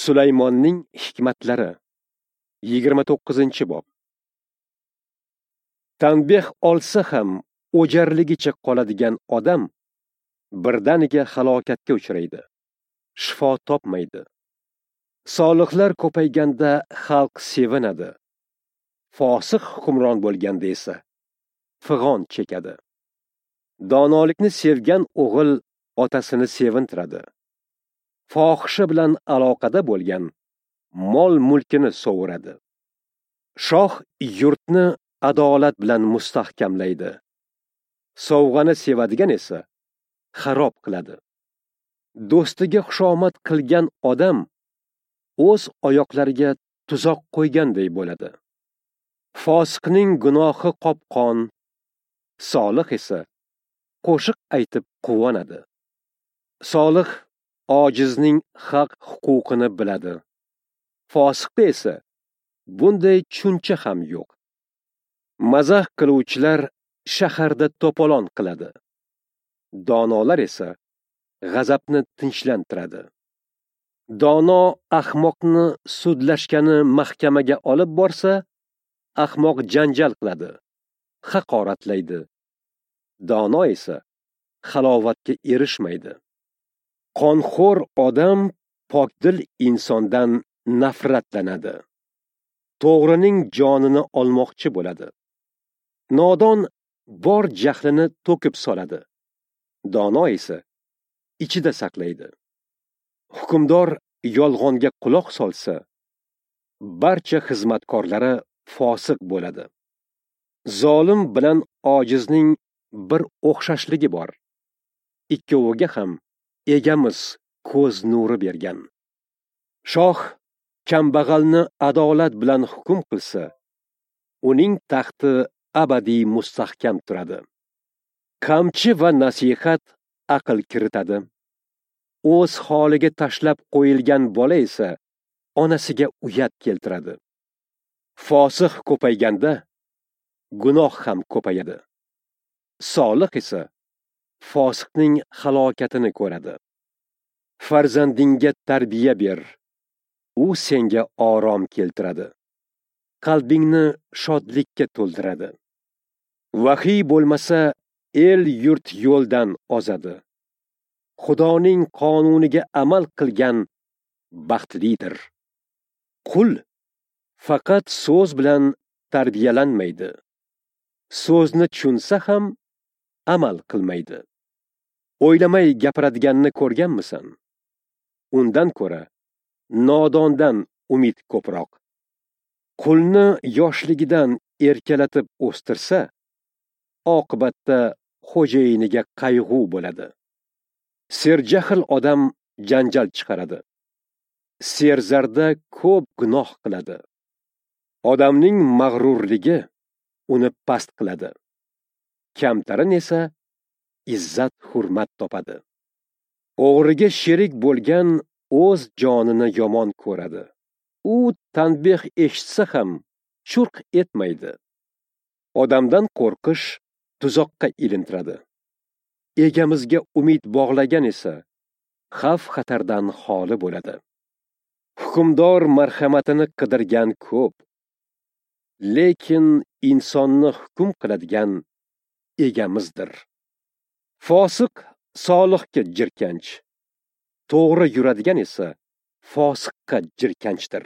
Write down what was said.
Sulaymonning hikmatlari 29-bob. Tanbeh olsa ham o'jarligicha qoladigan odam birdaniga halokatga uchraydi, shifo topmaydi. Solihlar ko'payganda xalq sevinadi. Fosiq hukmron bo'lganda esa fig'on chekadi. Donolikni sevgan o'g'il otasini sevintiradi. Fohisha bilan aloqada bo'lgan mol-mulkini sovuradi. Shoh yurtni adolat bilan mustahkamlaydi. Sovg'ani sevadigan esa xarob qiladi. Do'stiga xushomad qilgan odam o'z oyoqlariga tuzoq qo'yganday bo'ladi. Fosiqning gunohi qopqon, solih esa qo'shiq aytib quvonadi. Solih ojizning haq huquqini biladi. Fosiqda esa bunday tushuncha ham yo'q. Mazax qiluvchilar shaharda to'polon qiladi. Donolar esa g'azabni tinchlantiradi. Dono ahmoqni sudlashgani mahkamaga olib borsa, ahmoq janjal qiladi, haqoratlaydi. Dono esa halovatga erishmaydi. Qonxo'r odam pokdil insondan nafratlanadi. To'g'rining jonini olmoqchi bo'ladi. Nodon bor jahlini to'kib soladi. Dono esa ichida saqlaydi. Hukmdor yolg'onga quloq solsa, barcha xizmatkorlari fosiq bo'ladi. Zolim bilan ojizning bir o'xshashligi bor. Ikkoviga ham egamiz ko'z nuri bergan. Shoh kambag'alni adolat bilan hukm qilsa, uning taxti abadiy mustahkam turadi. Qamchi va nasihat aql kiritadi. O'z holiga tashlab qo'yilgan bola esa onasiga uyat keltiradi. Fosiq ko'payganda gunoh ham ko'payadi. Solih esa fosiqning halokatini ko'radi. Farzandingga tarbiya ber, u senga orom keltiradi. Qalbingni shodlikka to'ldiradi. Vahiy bo'lmasa, el yurt yo'ldan ozadi. Xudoning qonuniga amal qilgan baxtlidir. Qul faqat so'z bilan tarbiyalanmaydi. So'zni tushunsa ham amal qilmaydi. O'ylamay gapiradiganni ko'rganmisan? Undan ko'ra nodondan umid ko'proq. Qulni yoshligidan erkalatib o'stirsa, oqibatda xo'jayiniga qayg'u bo'ladi. Serjahl odam janjal chiqaradi. Serzarda ko'p gunoh qiladi. Odamning mag'rurligi uni past qiladi. Kamtarin esa izzat hurmat topadi. O'g'riga sherik bo'lgan o'z jonini yomon ko'radi. U tanbeh eshitsa ham churq etmaydi. Odamdan qo'rqish tuzoqqa ilintiradi. Egamizga umid bog'lagan esa xavf xatardan xoli bo'ladi. Hukmdor marhamatini qidirgan ko'p, lekin insonni hukm qiladigan egamizdir. Fosiq solihga jirkanch, to'g'ri yuradigan esa fosiqqa jirkanchdir.